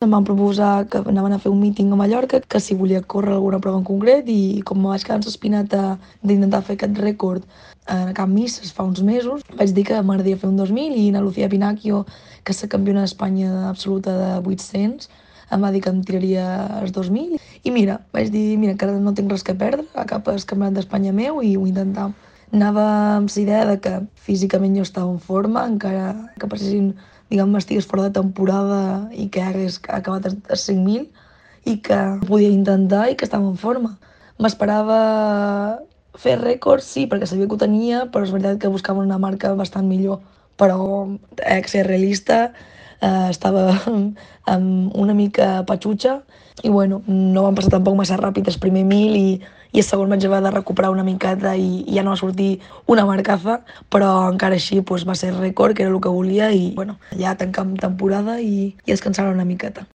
Em van proposar que anaven a fer un míting a Mallorca, que si volia córrer alguna prova en concret, i com me vaig quedar ensospinat d'intentar fer aquest rècord a Can Misses fa uns mesos, vaig dir que m'agradaria fer un 2000 i na Lucía Pinacchio, que és la campiona d'Espanya absoluta de 800, em va dir que em tiraria els 2000 i mira, vaig dir, mira, encara no tinc res que perdre, a cap el campionat d'Espanya meu i ho intentava. Anava amb la idea de que físicament jo estava en forma, encara que passessin, diguem, estigués fora de temporada i que hagués acabat a 5.000 i que podia intentar i que estava en forma. M'esperava fer rècords, sí, perquè sabia que ho tenia, però és veritat que buscava una marca bastant millor. Però he de ser realista, estava una mica patxutxa i bueno, no van passar tampoc massa ràpid el primer 1.000 i el segon vaig haver de recuperar una miqueta i ja no va sortir una marcaza, però encara així pues, va ser rècord, que era el que volia i bueno, ja tancam temporada i descansar una miqueta.